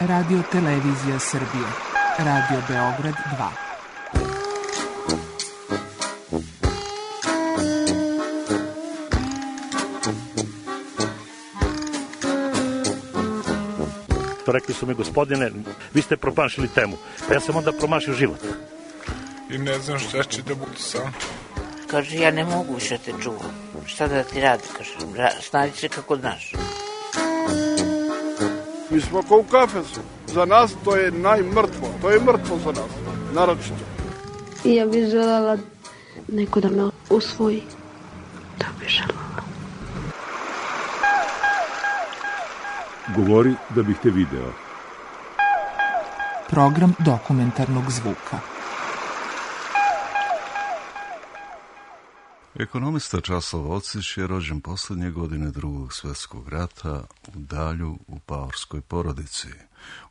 Radio Televizija Srbije. Radio Beograd 2. To rekli su mi, gospodine, vi ste promašili temu. Pa ja sam onda promašio život. I ne znam šta će da bude sam. Kaže, ja ne mogu više te čuvam. Šta da ti radi, kaže, snađi se kako znaš. Mi smo kao u kafesu. Za nas to je najmrtvo. To je mrtvo za nas, naročito. I ja bih želela neko da me usvoji. To bih želela. Govori da bih te video. Program dokumentarnog zvuka. Ekonomista Časlav Ocić je rođen posljednje godine Drugog svjetskog rata u Dalju u paorskoj porodici,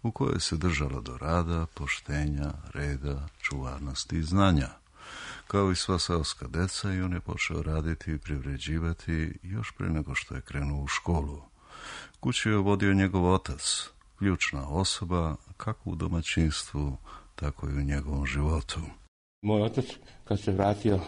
u kojoj se držalo do rada, poštenja, reda, čuvarnosti i znanja. Kao i sva seoska deca, i on je počeo raditi i privređivati još prije nego što je krenuo u školu. Kuću je vodio njegov otac, ključna osoba kako u domaćinstvu, tako i u njegovom životu. Moj otac, kad se vratio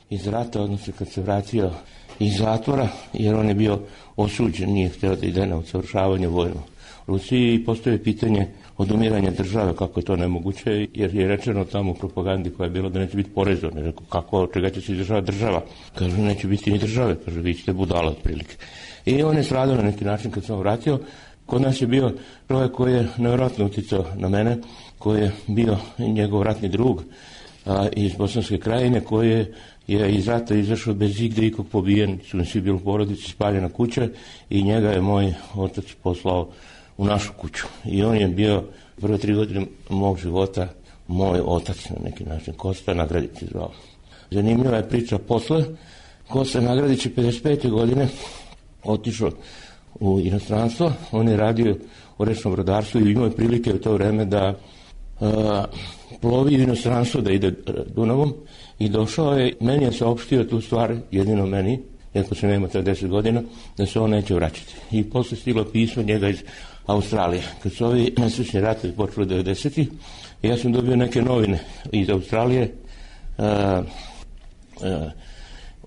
iz rata, odnosno kad se vratio iz zatvora, jer on je bio osuđen, nije htio da ide na usavršavanje vojno u Rusiji, i postoje pitanje odumiranja države, kako je to nemoguće, jer je rečeno tamo u propagandi koja je bila da neće biti poreza. Ne rekao, kako, čega će se izdržavati država? Kažu, neće biti ni države, kažu, vi ćete budala otprilike. I on je stradao na neki način kad sam vratio. Kod nas je bio čovjek koji je nevjerojatno utjecao na mene, koji je bio njegov ratni drug iz Bosanske krajine, koji je iz rata izašao bez igde ikog pobijen, su svi bili u porodici, spaljena kuća, i njega je moj otac poslao u našu kuću. I on je bio prve 3 godine mog života moj otac na neki način. Kosta Nagradić je zvao. Zanimljiva je priča posle. Kosta Nagradić je 55. godine otišao u inostranstvo. On je radio u rečnom brodarstvu i imao je prilike u to vreme da plovi u inostranstvo, da ide Dunavom, i došao je, meni je saopštio tu stvar, jedino meni, iako se nema 10 godina, da se on neće vraćati. I posle stiglo pismo njega iz Australije. Kad su ovi nesrećni ratovi počeli 90-ih, ja sam dobio neke novine iz Australije,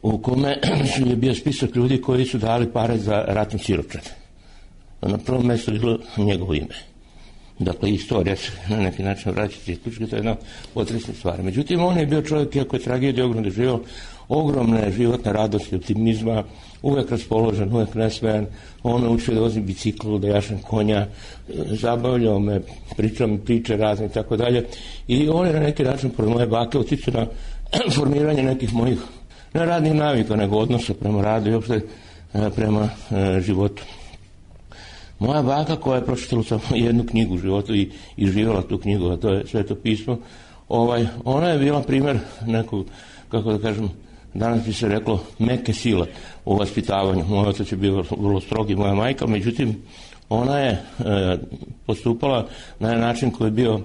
u kome je bio spisak ljudi koji su dali pare za ratni siročad. Na prvom mjestu je bilo njegovo ime. Dakle, istorija se na neki način vraćati. To je jedna potresna stvar. Međutim, on je bio čovjek, iako je tragedija ogromno doživio, ogromne životne radosti, optimizma, uvek raspoložen, uvek nesmejan. On me učio da vozim biciklu, da jašem konja, zabavljao me, pričao mi priče razne i tako dalje. I on je na neki način, pored moje bake, uticao na formiranje nekih mojih, ne radnih navika, nego odnosa prema radu i uopšte prema životu. Moja baka, koja je pročitala samo jednu knjigu u životu i živjela tu knjigu, a to je Sveto pismo, ona je bila primjer nekog, kako da kažem, danas bi se reklo, meke sile u vaspitavanju. Moj otac je bio vrlo strog i moja majka, međutim, ona je postupala na način koji je bio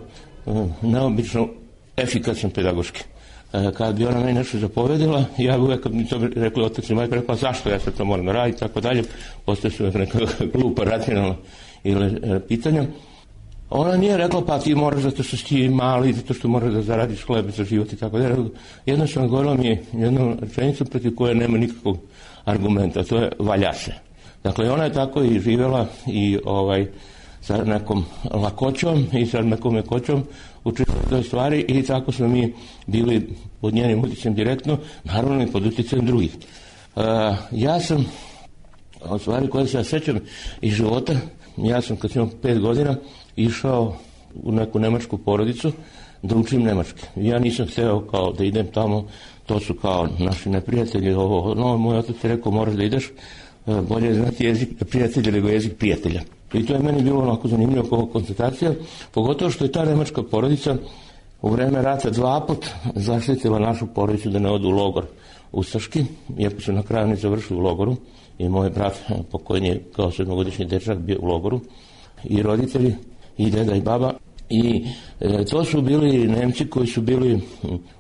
neobično efikasan pedagoški. Kad bi ona meni nešto zapovedila, ja bi uvek, kad mi to rekli otac i majka, rekla zašto ja sad to moram raditi, tako dalje. Postoje su neka glupa racionalna ili pitanja. Ona nije rekla, pa ti moraš zato što si ti mali, zato što moraš da zaradiš hleb za život i tako dalje. Jednostavno govorila mi je jednu rečenicu protiv koje nema nikakvog argumenta, to je valja se. Dakle, ona je tako i živjela i sa nekom lakoćom i sa nekom mekoćom učinila toj stvari, i tako smo mi bili pod njenim utjecajem direktno, naravno i pod utjecajem drugih. Ja sam, od stvari koje se ja sećam iz života, ja sam kad sam imao 5 godina išao u neku nemačku porodicu da učim nemački. Ja nisam hteo kao da idem tamo, to su kao naši neprijatelji, moj otac je rekao moraš da ideš, bolje je znati jezik prijatelja nego jezik prijatelja. I to je meni bilo onako zanimljivo kao konstatacija, pogotovo što je ta nemačka porodica u vreme rata 2 puta zaštitila našu porodicu da ne odu u logor ustaški, iako su na kraju ne završili u logoru, i moj brat pokojni je kao 7-godišnji dečak bio u logoru, i roditelji, i deda i baba, I to su bili Nemci koji su bili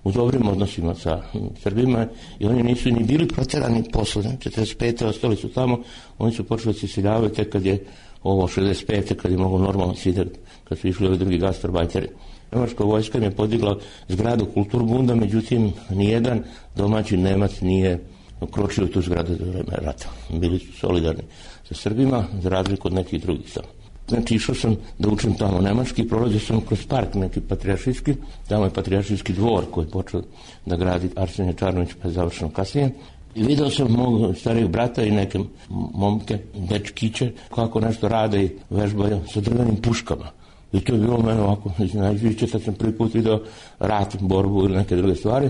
u dobrim odnosima sa Srbima i oni nisu ni bili proterani posle. 45. ostali su tamo, oni su počeli se iseljavati tek kad je ovo 65. kad je mogo normalno sideti, kad su išli ovi drugi gastarbajteri. Nemačka vojska im je podigla zgradu Kulturbunda, međutim nijedan domaći Nemac nije ukročio u tu zgradu za vreme rata. Bili su solidarni sa Srbima, za razliku od nekih drugih tamo. Znači išao sam da učim tamo nemački, prolazio sam kroz park neki patrijaršijski, tamo je patrijaršijski dvor koji je počeo da gradi Arsenije Čarnović, pa je završeno kasnije. I video sam mog starijeg brata i neke momke, dečkiće, kako nešto rade i vežbaju sa drvenim puškama. I to je bilo mene ovako iznenađujuće, sad sam prvi put video rat, borbu ili neke druge stvari.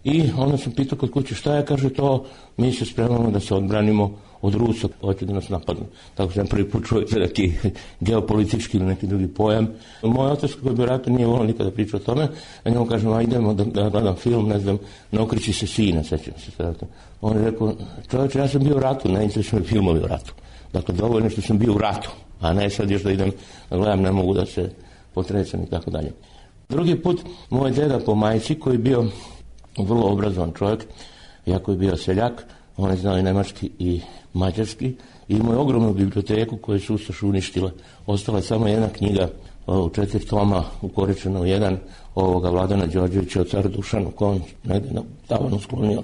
I onda sam pitao kod kuće šta je, kaže to, mi se spremamo da se odbranimo od Rusa, hoće da nas napadnu. Tako sam prvi put čuo neki geopolitički ili neki drugi pojam. Moj otac koji je bio ratu nije volio nikada pričao o tome, a njemu kažem, a idemo da gledam film, ne znam, Ne okreći se sine, sećam se sada. On je rekao, čovječe, ja sam bio u ratu, ne interesuju me filmovi u ratu. Dakle, dovoljno što sam bio u ratu, a ne sad još da idem da gledam, ne mogu da se potrecam i tako dalje. Drugi put, moj deda po majci koji je bio vrlo obrazovan čovjek, iako je bio seljak, on je znao i nemački i mađarski i imao je ogromnu biblioteku koju su Ustaše uništile. Ostala je samo jedna knjiga u 4 toma, ukoričena u jedan, ovoga Vladana Đorđevića o caru Dušanu, koji on negdje na tavanu sklonio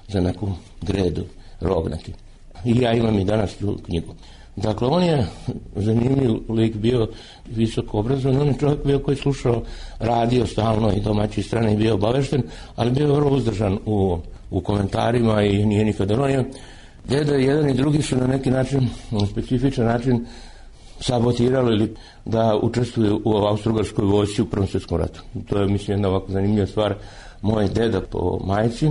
za neku gredu, rog neki. I ja imam i danas tu knjigu. Dakle, on je zanimljiv lik, bio visoko obrazovan, on je čovjek bio koji slušao radio stalno i domaći strane i bio obavešten, ali bio vrlo uzdržan u komentarima i nije nikada ronio. Deda jedan i drugi su na neki način, na specifičan način sabotirali da učestvuju u Austro-Ugarskoj vojsci u Prvom svjetskom ratu. To je, mislim, jedna ovako zanimljiva stvar. Moj deda po majci,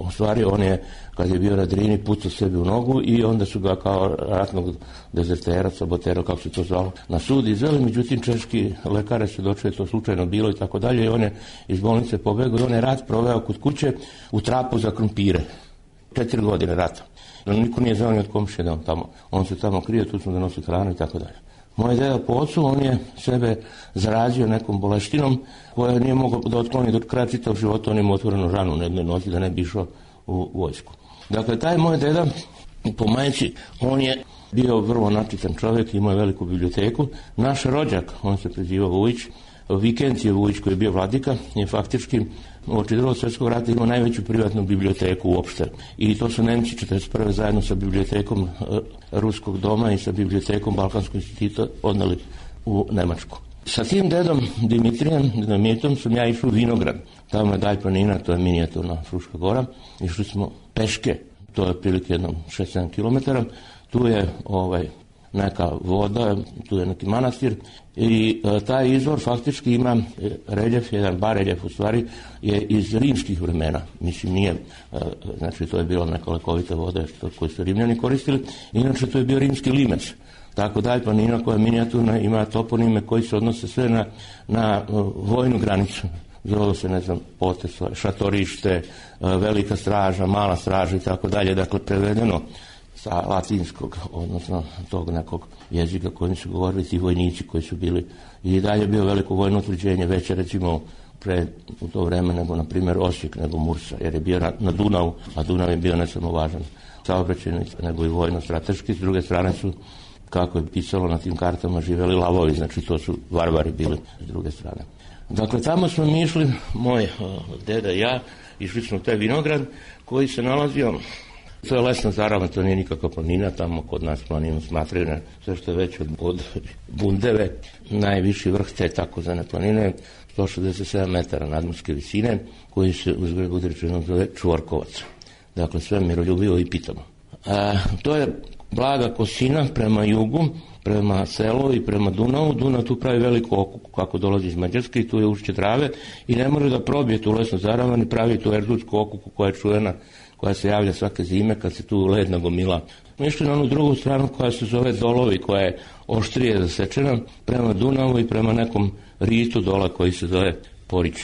u stvari on je, kad je bio na Drini, pucao sebi u nogu i onda su ga kao ratnog dezertera, sabotera, kako se to zvalo, na sud izveli. Međutim, češki lekare su došli, to slučajno bilo i tako dalje, i on je iz bolnice pobegao i on je rat proveo kod kuće u trapu za krumpire. 4 godine rata. Niko nije znao ni od komšije da on tamo. On se tamo krio, tu smo da nosi hranu i tako dalje. Moj deda po ocu, on je sebe zarazio nekom boleštinom koja nije mogao da otkloni do kraja čitavog života, on ima otvorenu ranu na jednoj nozi da ne bi išao u vojsku. Dakle, taj moj deda po majci, on je bio vrlo načitan čovjek, imao je veliku biblioteku. Naš rođak, on se prezivao Vujić, Vikencije Vujić koji je bio vladika, je faktički uoči Drugog svjetskog rata imao najveću privatnu biblioteku uopšte. I to su Nemci 41. zajedno sa bibliotekom Ruskog doma i sa bibliotekom Balkanskog instituta odnali u Nemačku. Sa tim dedom Dimitrijem, Dinamitom, sam ja išao u Vinograd. Tamo je dalj planina, to je minijaturna Fruška gora. Išli smo peške, to je otprilike jednom 6-7 km. Tu je neka voda, tu je neki manastir i taj izvor faktički ima reljef, jedan bareljef u stvari je iz rimskih vremena. Mislim nije, znači to je bila neka lekovita voda koju su Rimljani koristili, inače to je bio rimski limec. Tako da je planina koja je minijaturna, ima toponime koji se odnose sve na vojnu granicu. Zove se, ne znam, potez, šatorište, velika straža, mala straža i tako dalje, dakle prevedeno sa latinskog, odnosno tog nekog jezika kojim su govorili ti vojnici koji su bili. I dalje bio veliko vojno utvrđenje, veće recimo u to vreme nego na primjer Osijek, nego Mursa, jer je bio na Dunavu, a Dunav je bio ne samo važan saobraćajni, nego i vojno-strateški. S druge strane su, kako je pisalo na tim kartama, živeli lavovi, znači to su varvari bili s druge strane. Dakle, tamo smo mi išli, moj deda i ja, išli smo u taj vinograd koji se nalazio. To je lesna Zarava, to nije nikakva planina, tamo kod nas planinu smatraju na sve što je već od Bundeve. Najviši vrh te takozvane planine, 167 metara nadmorske visine, koji se uzgled bude rečeno zove Čvorkovac. Dakle, sve miroljubivo i pitamo. To je blaga kosina prema jugu, prema selu i prema Dunavu. Dunav tu pravi veliku okuku kako dolazi iz Mađarske i tu je ušće Drave i ne može da probije tu lesnu Zaravan i pravi tu erdutsku okuku koja je čuvena, koja se javlja svake zime kad se tu led nagomila. Mi išli na onu drugu stranu koja se zove Dolovi, koja je oštrije zasečena prema Dunavu i prema nekom ritu dola koji se zove Porić.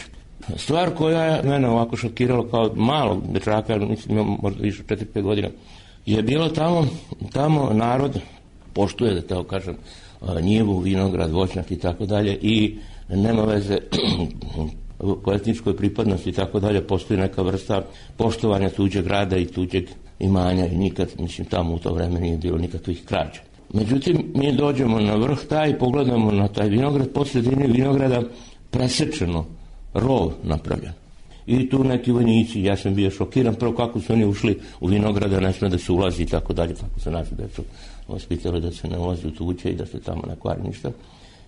Stvar koja je mene ovako šokirala kao malog dečaka, mislim imam možda više 4-5 godina, je bilo tamo narod poštuje, da tako kažem, njivu, vinograd, voćnjak i tako dalje i nema veze po etničkoj pripadnosti i tako dalje, postoji neka vrsta poštovanja tuđeg rada i tuđeg imanja i nikad, mislim, tamo u to vreme nije bilo nikakvih krađa. Međutim, mi dođemo na vrh taj i pogledamo na taj vinograd, po sredini vinograda presečeno, rov napravljen. I tu neki vojnici, ja sam bio šokiran, prvo kako su oni ušli u vinograda, ne sme da se ulazi i tako dalje, kako se naši decu vaspitali da se ne ulazi u tuđe i da se tamo ne kvari ništa,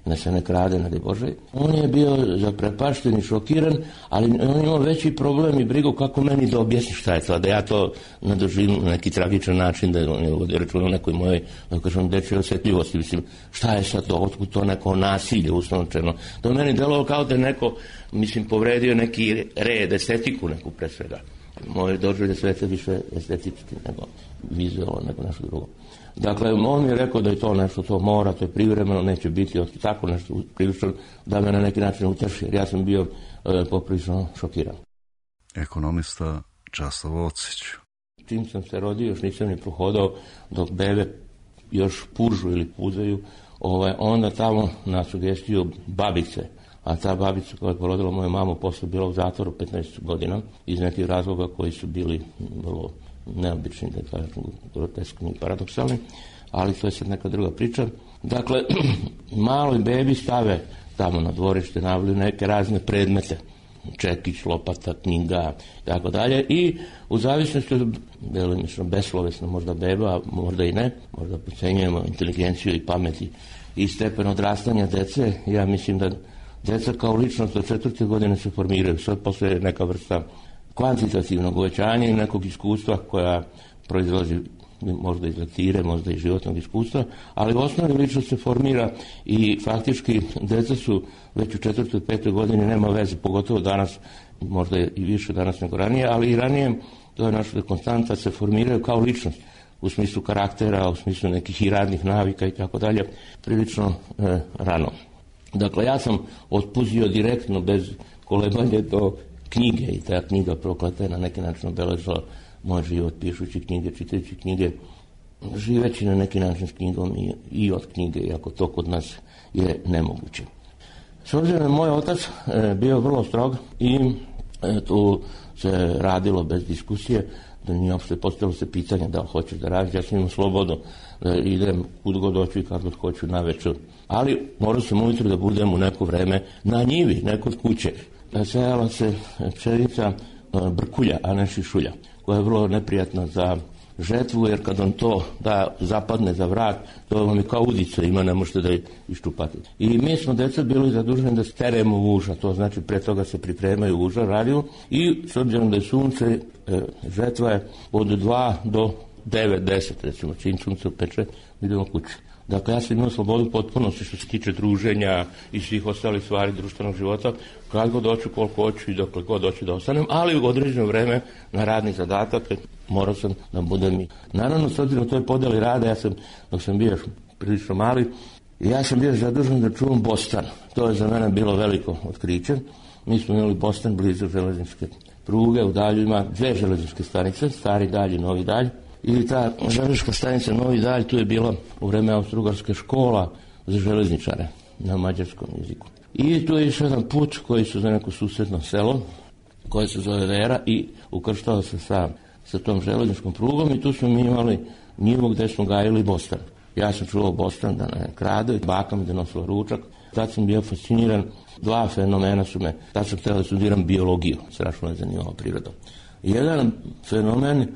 da se ne krade, ne daj Bože. On je bio zaprepašten i šokiran, ali on imao veći problem i brigu kako meni da objasni šta je to, da ja to ne doživim na neki tragičan način, da on je ovdje računao nekoj mojoj, da kažem, dečjoj osjetljivosti, mislim, šta je sad to, otkud to neko nasilje uslovčeno. To meni delovalo kao da je neko, mislim, povredio neki red, estetiku neku pre svega. Moje doživlje sveta više estetički nego vizualno, nego nešto drugo. Dakle, on mi je rekao da je to nešto, to mora, to je privremeno, neće biti tako nešto prilično da me na neki način uteši, jer ja sam bio poprilično šokiran. Ekonomista Časlav Ocić. Čim sam se rodio, još nisam ni prohodao dok bebe još pužu ili puzaju, onda tamo na sugestiju babice, a ta babica koja je porodila moju mamu posle bila u zatvoru 15 godina iz nekih razloga koji su bili vrlo neobični, da kažem, groteskni i paradoksalni, ali to je sad neka druga priča. Dakle, maloj bebi stave tamo na dvorište, navlju neke razne predmete, čekić, lopata, knjiga, tako dalje, i u zavisnosti od delimično beslovesno možda beba, a možda i ne, možda procenjujemo inteligenciju i pameti i stepen odrastanja dece, ja mislim da deca kao ličnost do 4. godine se formiraju, sad posle neka vrsta kvantitativnog uvećanja i nekog iskustva koja proizlazi možda iz lektire, možda iz životnog iskustva, ali u osnovi ličnost se formira i faktički deca su već u 4. i 5. godini, nema veze, pogotovo danas, možda i više danas nego ranije, ali i ranije, to je naša konstanta, se formiraju kao ličnost u smislu karaktera, u smislu nekih i radnih navika i tako dalje, prilično rano. Dakle, ja sam otpuzio direktno, bez kolebanja do knjige i ta knjiga prokleta je na neki način obeležila moj život pišući knjige, čitajući knjige, živeći na neki način s knjigom i od knjige, iako to kod nas je nemoguće. S obzirom je moj otac bio vrlo strog i tu se radilo bez diskusije, da nije uopšte postavilo se pitanje da li hoćeš da radiš, ja sam imao slobodu da idem kud god hoću i kad god hoću na večer. Ali morao sam ujutro da budem u neko vreme na njivi, neko od kuće. Sejala se pšenica brkulja, a ne šišulja, koja je vrlo neprijatna za žetvu, jer kad on to da zapadne za vrat, to vam je kao udica, ima, ne možete da iščupate. I mi smo deca bili zaduženi da steremo uža, to znači pre toga se pripremaju uža, radiju, i s obzirom da je sunce, žetva je od 2 do 9, 10, recimo, čim sunce peče, idemo kući. Dakle, ja sam imao slobodu potpunosti što se tiče druženja i svih ostalih stvari društvenog života, kad god hoću, koliko hoću i dokle god hoću da ostanem, ali u određeno vreme na radni zadatak morao sam da budem i... Naravno, s obzirom toj podeli rada, ja sam, dok sam bio prilično mali, ja sam bio zadužen da čuvam Bostan. To je za mene bilo veliko otkriće. Mi smo imali Bostan blizu železničke pruge, u Dalju ima 2 železničke stanice, Stari Dalj i Novi Dalj. I ta železnička stanica Novi Dalj, tu je bila u vreme Austro-Ugarske škola za železničare na mađarskom jeziku. I tu je još jedan put koji su za neko susedno selo, koje se zove Vera, i ukrštao se sa tom železničkom prugom, i tu smo mi imali njivu gde smo gajili Bostan. Ja sam čuvao Bostan da ne krade, baka mi da nosila ručak. Tad sam bio fasciniran, 2 fenomena su me, tad sam htio da studiram biologiju, strašno je zanimljiva priroda. Jedan fenomen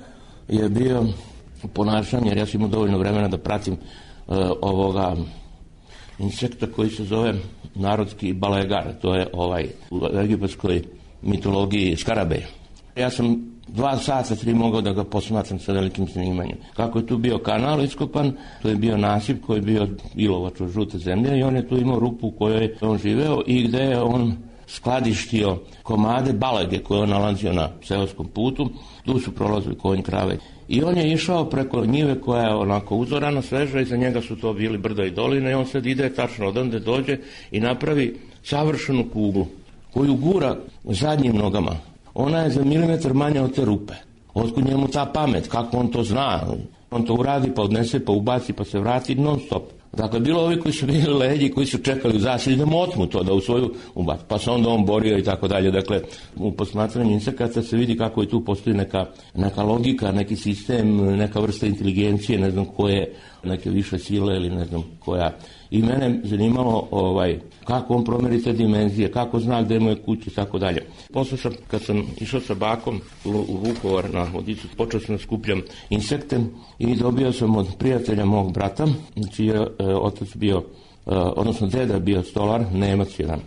je bio ponašanje, jer ja sam imao dovoljno vremena da pratim ovoga insekta koji se zove narodski balegar, to je u egipatskoj mitologiji skarabej. Ja sam 2 sata, 3 mogao da ga posmatram sa velikim zanimanjem. Kako je tu bio kanal iskopan, to je bio nasip koji je bio ilovač od žute zemlje, i on je tu imao rupu u kojoj je on živeo i gde je on skladištio komade balege koje on nalazio na seoskom putu. Tu su prolazili konj, krave. I on je išao preko njive koja je onako uzorana, sveža, i za njega su to bili brda i doline, i on sad ide tačno odande, dođe i napravi savršenu kuglu koju gura zadnjim nogama. Ona je za milimetar manja od te rupe. Otkud njemu ta pamet, kako on to zna? On to uradi, pa odnese, pa ubaci, pa se vrati non stop. Dakle, bilo ovi koji su bili leđi, koji su čekali u zasjedi da mu otmu to, da u svoju ubaci, pa se onda on borio i tako dalje. Dakle, u posmatranju insekata se vidi kako i tu postoji neka logika, neki sistem, neka vrsta inteligencije, ne znam koje, neke više sile ili ne znam koja. I mene zanimalo kako on promeri te dimenzije, kako zna gde mu je kuća i tako dalje. Posle sam, kad sam išao sa bakom u Vukovar na vodicu, počeo sam da skupljam insekte i dobio sam od prijatelja mog brata, čiji je otac bio, odnosno deda bio stolar, Nemac jedan,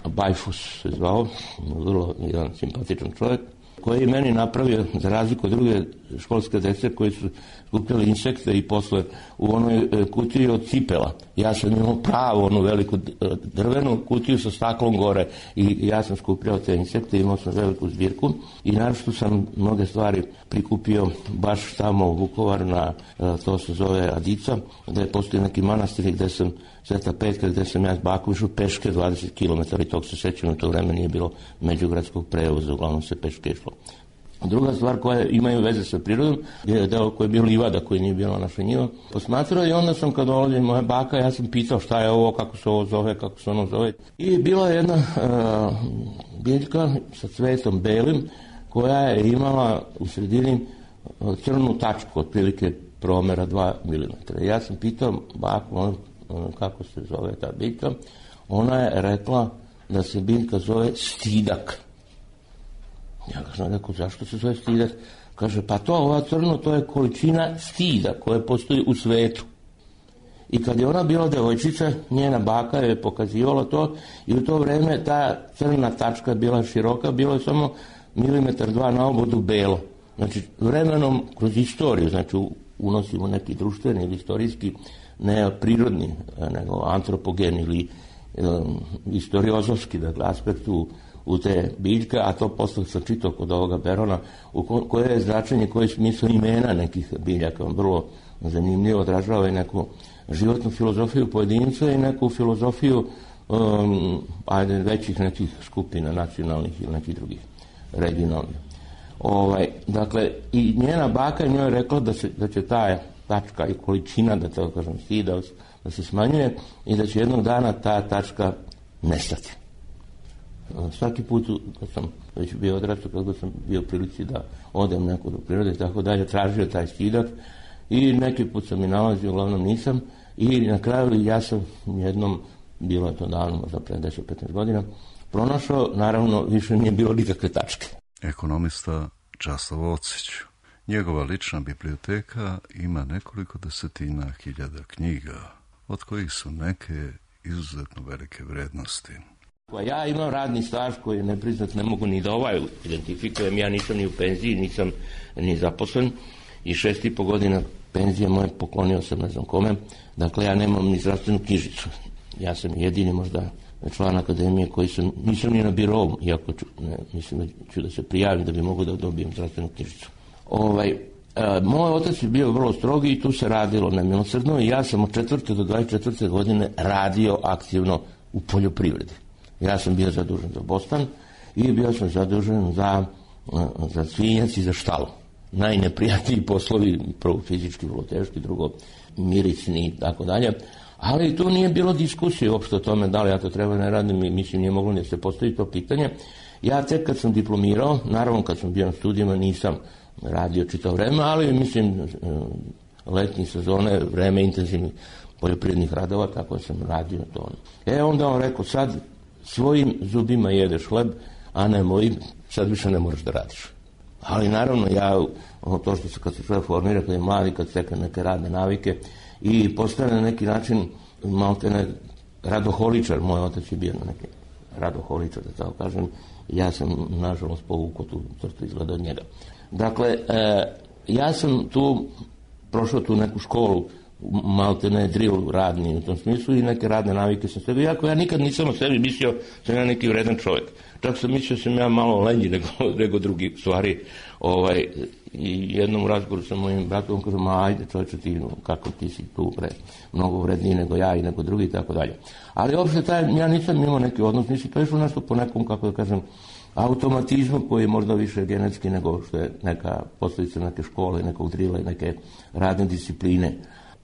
Bajfus se zvao, vrlo jedan simpatičan čovjek, koji je meni napravio, za razliku od druge školske dece koji su skupljali insekte i posle u onoj kutiji od cipela. Ja sam imao pravu onu veliku drvenu kutiju sa staklom gore i ja sam skupljao te insekte, imao sam veliku zbirku i naravno sam mnoge stvari prikupio baš tamo u Vukovar na, to se zove Adica, gde postoji neki manastir gde sam Sveta Petka, gde sam ja s bakom išao peške 20 km i tog se sećam, u to vreme nije bilo međugradskog prevoza, uglavnom se peške išlo. Druga stvar koja imaju veze sa prirodom je deo koji je bio livada, koji nije bilo naša njiva. Posmatrao i onda sam kad dolazi moja baka, ja sam pitao šta je ovo, kako se ovo zove, kako se ono zove. I bila je jedna biljka sa cvetom belim koja je imala u sredini crnu tačku, otprilike promera 2 mm. Ja sam pitao baku kako se zove ta biljka. Ona je rekla da se biljka zove stidak. Ja kažem, rekao, zašto se zove stidak? Kaže, pa to, ova crno, to je količina stida koja postoji u svetu. I kad je ona bila devojčica, njena baka je pokazivala to i u to vreme ta crna tačka bila široka, bilo je samo 1-2 na obodu belo. Znači, vremenom, kroz istoriju, znači, unosimo neki društveni ili istorijski, ne prirodni, nego antropogen ili istoriozovski, dakle, aspekt u te biljke, a to posle sam čitao kod ovoga Berona, koje je značenje, koje je smisao imena nekih biljaka, vrlo zanimljivo odražava i neku životnu filozofiju pojedinca i neku filozofiju većih nekih skupina, nacionalnih ili nekih drugih, regionalnih. Dakle, i njena baka njoj je rekla da će ta tačka i količina, da tako kažem, stida, da se smanjuje i da će jednog dana ta tačka nestati. Svaki put kad sam već bio odrastao, kako sam bio prilici da odem neko do prirode i tako dalje, tražio taj stidak i neki put sam i nalazio, uglavnom nisam, i na kraju ja sam jednom, bilo je to davno, možda pre 10-15 godina, pronašao, naravno više nije bilo nikakve tačke. Ekonomista Časlav Ocić. Njegova lična biblioteka ima nekoliko desetina hiljada knjiga, od kojih su neke izuzetno velike vrednosti. Ja imam radni staž koji ne priznat, ne mogu ni da identifikujem, ja nisam ni u penziji, nisam ni zaposlen i 6,5 godina penzije moje poklonio sam ne znam kome, dakle ja nemam ni zdravstvenu knjižicu. Ja sam jedini možda član akademije koji nisam ni na birovu, iako mislim da ću da se prijavim da bi mogu da dobijem zdravstvenu knjižicu. Moj otac je bio vrlo strogi i tu se radilo nemilosrdno i ja sam od 4. do 24. godine radio aktivno u poljoprivredi. Ja sam bio zadužen za bostan i bio sam zadužen za svinjac i za štalu. Najneprijatniji poslovi, prvo fizički, vrlo teški, drugo mirisni i tako dalje. Ali tu nije bilo diskusije uopšte o tome da li ja to treba ne radim i mislim nije moglo da se postavi to pitanje. Ja tek kad sam diplomirao, naravno kad sam bio na studijama nisam radio čitao vreme, ali mislim letnje sezone, vreme intenzivnih poljoprivrednih radova, tako sam radio to. Onda on rekao, sad svojim zubima jedeš hleb, a ne mojim, sad više ne moraš da radiš. Ali naravno ja, to što se kad se čovjek formira, kad je mladi, kad stekne neke radne navike i postane na neki način maltene radoholičar, moj otac je bio na neki radoholičar, da tako kažem, ja sam nažalost povukao tu crtu izgleda od njega. Dakle, ja sam tu prošao tu neku školu, maltene drill radni u tom smislu i neke radne navike sam sebi, iako ja nikad nisam o sebi mislio sam ja neki vredan čovjek. Čak sam mislio sam ja malo lenji nego drugi stvari. I jednom razgovoru sa mojim bratom kažem, ajde čovječe ti, kako ti si tu mnogo vredniji nego ja i nego drugi i tako dalje. Ali uopšte ja nisam imao neki odnos, nisi to išlo nešto po nekom, kako da kažem, automatizmu koji je možda više genetski nego što je neka posljedica neke škole, nekog drila i neke radne discipline.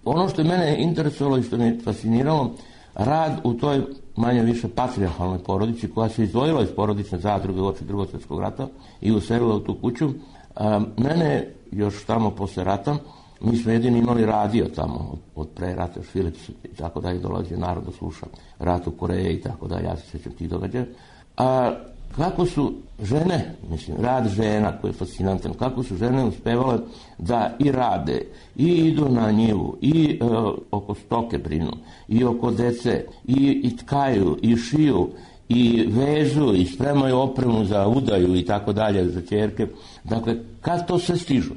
Ono što je mene interesovalo i što me fasciniralo, rad u toj manje više patrijarhalnoj porodici koja se izdvojila iz porodične zadruge uoči Drugog svjetskog rata i uselila u tu kuću. Mene još tamo posle rata, mi smo jedini imali radio tamo od pre rata, još Philips i tako dalje, dolazio narod da sluša rat u Koreji i tako dalje, ja se sjećam tih događaja. Kako su žene, mislim, rad žena koji je fascinantan, kako su žene uspevale da i rade, i idu na njivu, i oko stoke brinu, i oko dece, i tkaju, i šiju, i vežu, i spremaju opremu za udaju i tako dalje, za ćerke. Dakle, kad to sve stižu?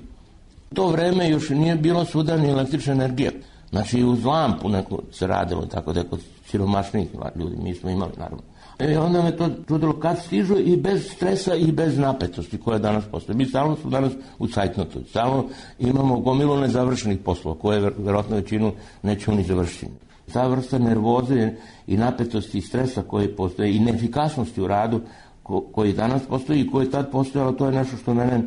U to vreme još nije bilo svuda ni električna energija. Znači, uz lampu neko se radilo, tako da je kod siromašnih ljudi, mi smo imali, naravno. I onda me to čudilo kad stižu i bez stresa i bez napetosti koja danas postoje. Mi stalno smo danas u cajtnotu, stalno imamo gomilu nezavršenih poslova koje verovatno većinu nećemo ni završiti. Ta vrsta nervoze i napetosti i stresa koji postoje i neefikasnosti u radu koji danas postoji i koji je tad postojalo, to je nešto što mene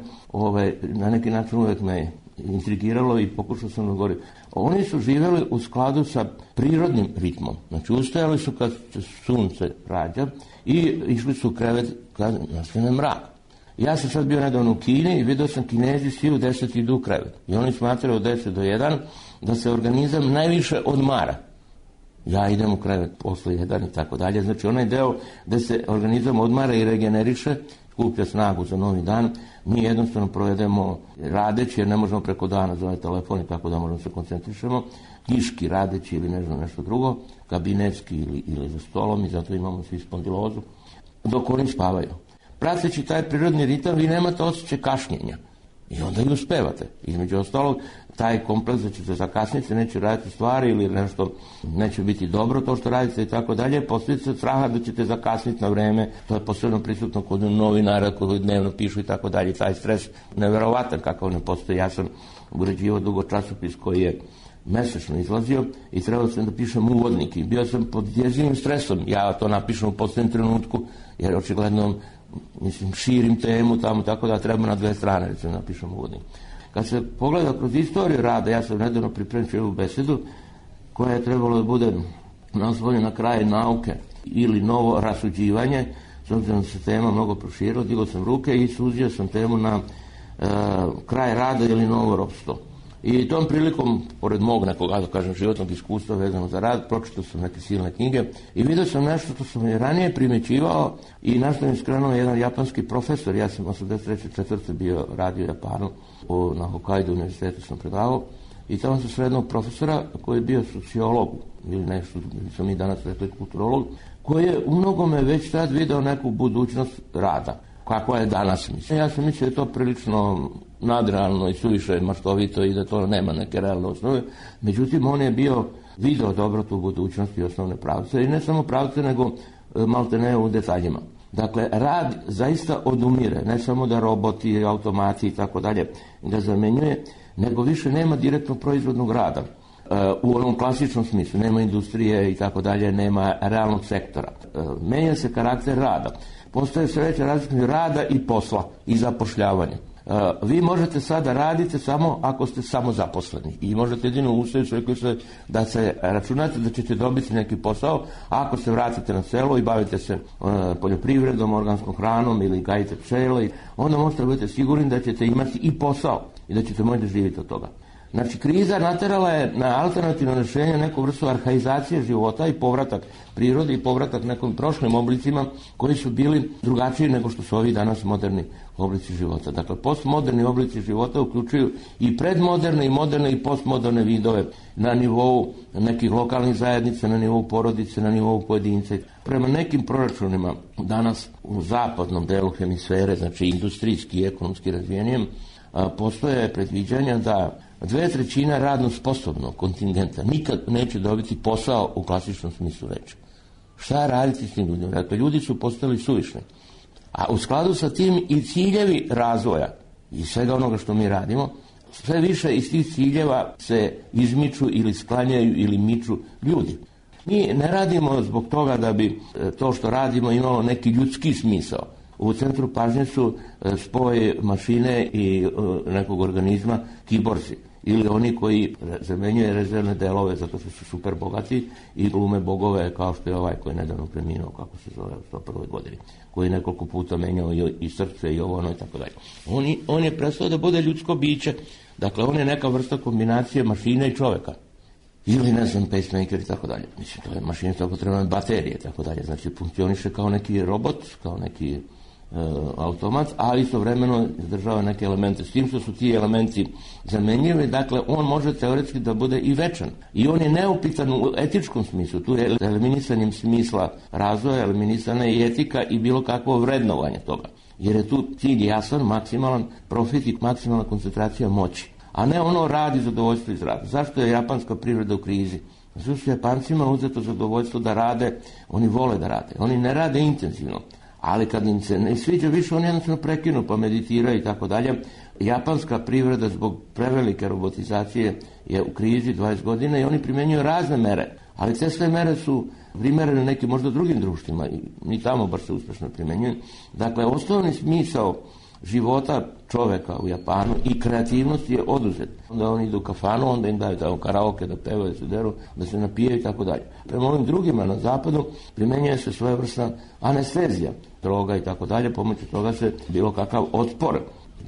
na neki način uvek me intrigiralo i pokušao sam da govorim. Oni su živjeli u skladu sa prirodnim ritmom. Znači, ustajali su kad se sunce rađa i išli su u krevet kad nastane mrak. Ja sam sad bio nedavno u Kini i vidio sam Kinezi svi u 10 idu u krevet. I oni smatraju od 10 do 1 da se organizam najviše odmara. Ja idem u krevet posle 1 i tako dalje. Znači, onaj deo da se organizam odmara i regeneriše, skuplja snagu za novi dan, mi jednostavno provedemo radeći, jer ne možemo preko dana za ovaj telefon i tako da možemo se koncentrišemo, knjiški radeći ili nešto drugo, kabinetski ili za stolom i zato imamo svi spondilozu, dok oni spavaju. Prateći taj prirodni ritam, vi nemate osjećaj kašnjenja i onda i uspevate. Između ostalog, taj kompleks da ćete zakasniti, neće raditi stvari ili nešto neće biti dobro to što radite i tako dalje, posljedica straha da ćete zakasniti na vreme, to je posebno prisutno kod novinara koji dnevno pišu i tako dalje, taj stres neverovatan kakav ne postoji. Ja sam uređivao dugo časopis koji je mesečno izlazio i trebao sam da pišem uvodnik i bio sam pod jezivim stresom, ja to napišem u posljednjem trenutku jer očigledno širim temu tamo, tako da treba na 2 strane recimo napišem uvodnik. Kad se pogleda kroz istoriju rada, ja sam nedavno pripremio ovu besedu koja je trebalo da bude naslovljena na kraj nauke ili novo rasuđivanje, s obzirom da se tema mnogo proširila, digao sam ruke i suzio sam temu na kraj rada ili novo ropstvo. I tom prilikom, pored mog nekog, da kažem, životnog iskustva vezano za rad, pročitao sam neke silne knjige i vidio sam nešto što sam i ranije primećivao i na što mi skrenuo jedan japanski profesor. Ja sam 83. bio radio u Japanu, na Hokkaido univerzitetu sam predavao i tamo sam srednog profesora koji je bio sociolog ili nešto, smo mi danas rekli kulturolog, koji je u mnogome već tad video neku budućnost rada. Kako je danas, mislim. Ja sam mislio da je to prilično nadrealno i suviše maštovito i da to nema neke realne osnove. Međutim, on je video dobro tu budućnost i osnovne pravce. I ne samo pravce, nego maltene u detaljima. Dakle, rad zaista odumire. Ne samo da roboti, automati i tako dalje ga zamenjuje, nego više nema direktno proizvodnog rada. U onom klasičnom smislu. Nema industrije i tako dalje, nema realnog sektora. Menja se karakter rada. Postoje sve veća razlika između rada i posla i zapošljavanja. Vi možete sada raditi samo ako ste samo zaposleni i možete jedino ustaviti da se računate da ćete dobiti neki posao ako se vratite na selo i bavite se poljoprivredom, organskom hranom ili gajite pčele, onda možete biti sigurni da ćete imati i posao i da ćete moći živjeti od toga. Znači, kriza naterala je na alternativno rješenje neku vrstu arhaizacije života i povratak prirodi i povratak nekim prošlim oblicima koji su bili drugačiji nego što su ovi danas moderni oblici života. Dakle, postmoderni oblici života uključuju i predmoderne i moderne i postmoderne vidove na nivou nekih lokalnih zajednica, na nivou porodice, na nivou pojedinca. Prema nekim proračunima danas u zapadnom delu hemisfere, znači industrijski i ekonomski razvijenijem, postoje predviđanja da 2/3 radno sposobnog kontingenta nikad neće dobiti posao u klasičnom smislu reči. Šta raditi s tim ljudima? Dakle, ljudi su postali suvišni. A u skladu sa tim i ciljevi razvoja i svega onoga što mi radimo, sve više iz tih ciljeva se izmiču ili sklanjaju ili miču ljudi. Mi ne radimo zbog toga da bi to što radimo imalo neki ljudski smisao. U centru pažnje su spoj mašine i nekog organizma, kiborzi. ili oni koji zamenjuju rezervne delove zato što su super bogati i glume bogove kao što je ovaj koji je nedavno preminuo, kako se zove, u 101. godini, koji je nekoliko puta menjao i srce i ovo ono i tako dalje. On je prestao da bude ljudsko biće, dakle on je neka vrsta kombinacije mašine i čoveka. Ili, ne znam, pacemaker i tako dalje. Mislim, to je mašina, tako treba baterije i tako dalje. Znači, funkcioniše kao neki robot, kao neki automat, ali istovremeno izdržava neke elemente. S tim što su ti elementi zamenjivi, dakle, on može teoretski da bude i večan. I on je neupitan u etičkom smislu. Tu je eliminisanjem smisla razvoja, eliminisana je i etika i bilo kakvo vrednovanje toga. Jer je tu cilj jasan, maksimalan profit i maksimalna koncentracija moći. A ne ono radi zadovoljstvo iz rada. Zašto je japanska privreda u krizi? Zato su Japancima uzeto zadovoljstvo da rade, oni vole da rade. Oni ne rade intenzivno, ali kad im se ne sviđa više, oni jednostavno prekinu pa meditiraju i tako dalje. Japanska privreda zbog prevelike robotizacije je u krizi 20 godina i oni primjenjuju razne mere. Ali te sve mere su primerene nekim možda drugim društvima i ni tamo baš se uspešno primjenjuju. Dakle, osnovni smisao života čoveka u Japanu i kreativnosti je oduzet. Onda oni idu u kafanu, onda im daju tamo karaoke da pevaju, da se deru, da se napijaju i tako dalje. Prema ovim drugima na zapadu primjenjuje se svojevrsna anestezija, droga i tako dalje, pomoću toga se bilo kakav otpor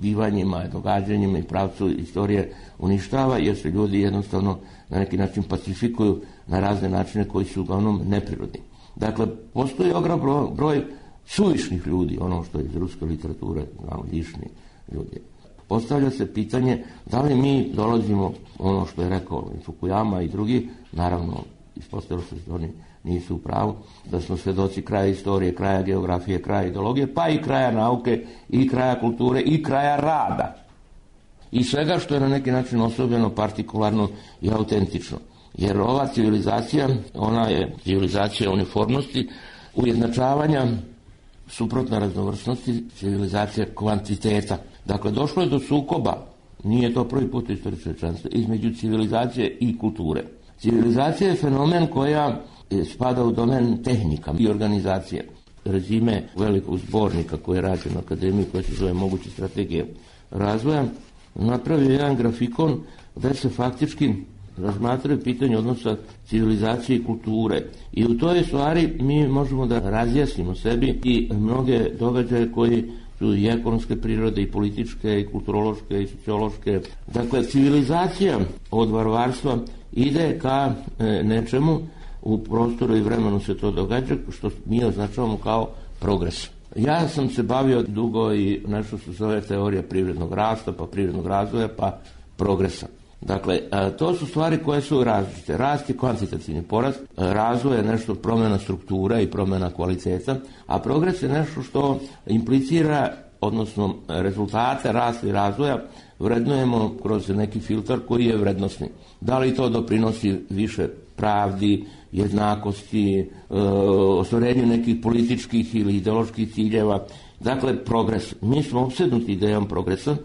bivanjima, događanjima i pravcu istorije uništava, jer se ljudi jednostavno na neki način pacifikuju na razne načine koji su uglavnom neprirodni. Dakle, postoji ogroman broj suvišnih ljudi, ono što je iz ruske literature, znamo, višni ljudi. Postavlja se pitanje da li mi dolazimo, ono što je rekao Fukuyama i drugi, naravno, ispostavilo se da oni nisu u pravu, da smo svedoci kraja istorije, kraja geografije, kraja ideologije, pa i kraja nauke, i kraja kulture, i kraja rada. I svega što je na neki način osobeno, partikularno i autentično. Jer ova civilizacija, ona je civilizacija uniformnosti, ujednačavanja, suprotna raznovrsnosti, civilizacija kvantiteta. Dakle, došlo je do sukoba, nije to prvi put u istoriji čovječanstva, između civilizacije i kulture. Civilizacija je fenomen koja spada u domen tehnika i organizacije. Rezime velikog zbornika koji je rađen na akademiji, koja se zove Moguće strategije razvoja, napravio jedan grafikon gde se faktički razmatraju pitanje odnosa civilizacije i kulture. I u toj stvari mi možemo da razjasnimo sebi i mnoge događaje koji su i ekonomske prirode, i političke, i kulturološke, i sociološke. Dakle, civilizacija od varvarstva ide ka nečemu, u prostoru i vremenu se to događa, što mi označavamo kao progres. Ja sam se bavio dugo i nešto što se zove teorija privrednog rasta, pa privrednog razvoja, pa progresa. Dakle, to su stvari koje su različite. Rast je kvantitativni porast, razvoj je nešto promjena struktura i promjena kvaliteta, a progres je nešto što implicira, odnosno rezultate rasta i razvoja vrednujemo kroz neki filtar koji je vrednosni. Da li to doprinosi više pravdi, jednakosti, ostvarenju nekih političkih ili ideoloških ciljeva. Dakle, progres. Mi smo opsednuti idejom progresa,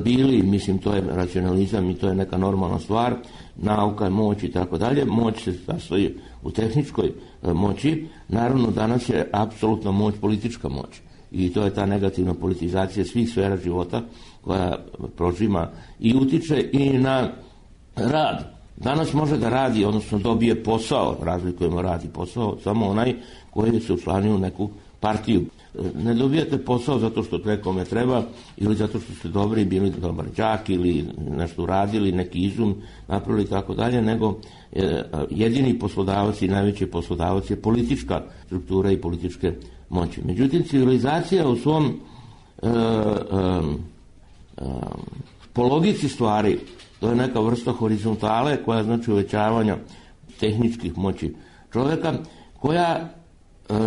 bili, mislim, to je racionalizam i to je neka normalna stvar, nauka, moć i tako dalje. Moć se sastoji u tehničkoj moći. Naravno, danas je apsolutna moć politička moć. I to je ta negativna politizacija svih sfera života koja prožima i utiče i na rad. Danas može da radi, odnosno dobije posao, razlikujemo rad i posao, samo onaj koji se učlanio u neku partiju. Ne dobijate posao zato što nekome treba ili zato što ste dobri, bili dobar đak ili nešto uradili, neki izum napravili i tako dalje, nego jedini poslodavac i najveći poslodavac je politička struktura i političke moći. Međutim, civilizacija u svom po logici stvari, to je neka vrsta horizontale koja znači uvećavanja tehničkih moći čovjeka, koja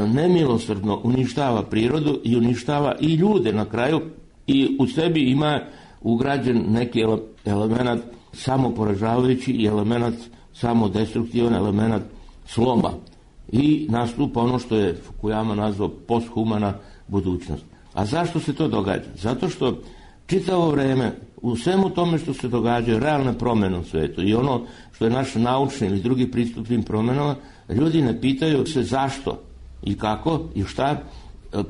nemilosrdno uništava prirodu i uništava i ljude na kraju i u sebi ima ugrađen neki element samoporažavajući i element samodestruktivan, element sloma. I nastupa ono što je Fukuyama nazvao posthumana budućnost. A zašto se to događa? Zato što čitavo vreme u svemu tome što se događaju realne promjene u svijetu i ono što je naš naučni ili drugi pristup tim promjenama, ljudi ne pitaju se zašto i kako i šta,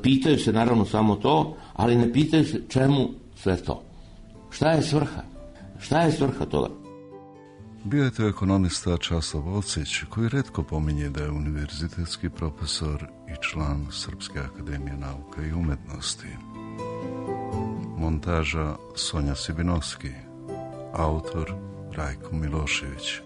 pitaju se naravno samo to, ali ne pitaju se čemu sve to. Šta je svrha? Šta je svrha toga? Bio je to ekonomista Časlav Ocić, koji retko pominje da je univerzitetski profesor i član Srpske akademije nauka i umetnosti. Montaža Sonja Sibinovski, autor Rajko Milošević.